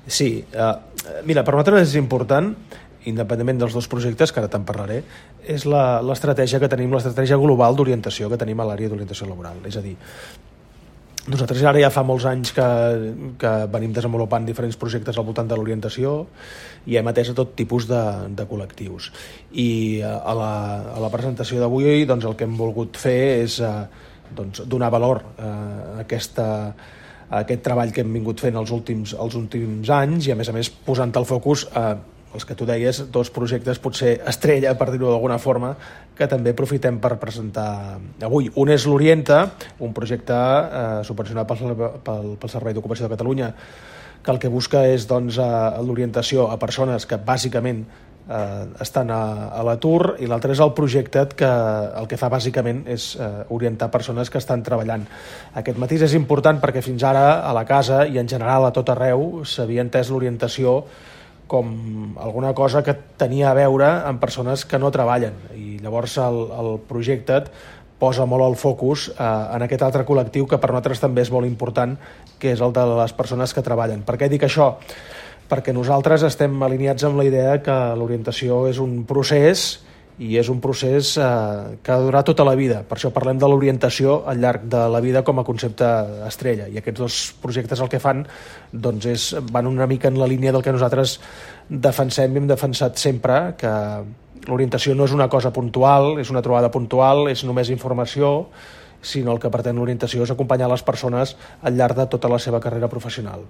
Sí, mira, per nosaltres és important, independentment dels dos projectes, que ara te'n parlaré, és l'estratègia que tenim, l'estratègia global d'orientació que tenim a l'àrea d'orientació laboral. És a dir, nosaltres ara ja fa molts anys que venim desenvolupant diferents projectes al voltant de l'orientació i hem atès a tot tipus de col·lectius. I a la presentació d'avui doncs, el que hem volgut fer és donar valor a aquest treball que hem vingut fent els últims anys i, a més, posant el focus a els que tu deies, dos projectes potser estrella, per dir-ho d'alguna forma, que també aprofitem per presentar avui. Un és l'Orienta, un projecte subvencionat pel Servei d'Ocupació de Catalunya, que el que busca és l'orientació a persones que bàsicament estan a l'atur, i l'altre és el projecte que el que fa bàsicament és orientar persones que estan treballant. Aquest matís és important perquè fins ara a la casa i en general a tot arreu s'havia entès l'orientació com alguna cosa que tenia a veure amb persones que no treballen, i llavors el projecte posa molt el focus en aquest altre col·lectiu que per nosaltres també és molt important, que és el de les persones que treballen. Per què dic això? Perquè nosaltres estem alineats amb la idea que l'orientació és un procés, i és un procés que ha de durar tota la vida. Per això parlem de l'orientació al llarg de la vida com a concepte estrella, i aquests dos projectes el que fan van una mica en la línia del que nosaltres defensem i hem defensat sempre, que l'orientació no és una cosa puntual, és una trobada puntual, és només informació, sinó el que pretén l'orientació és acompanyar les persones al llarg de tota la seva carrera professional.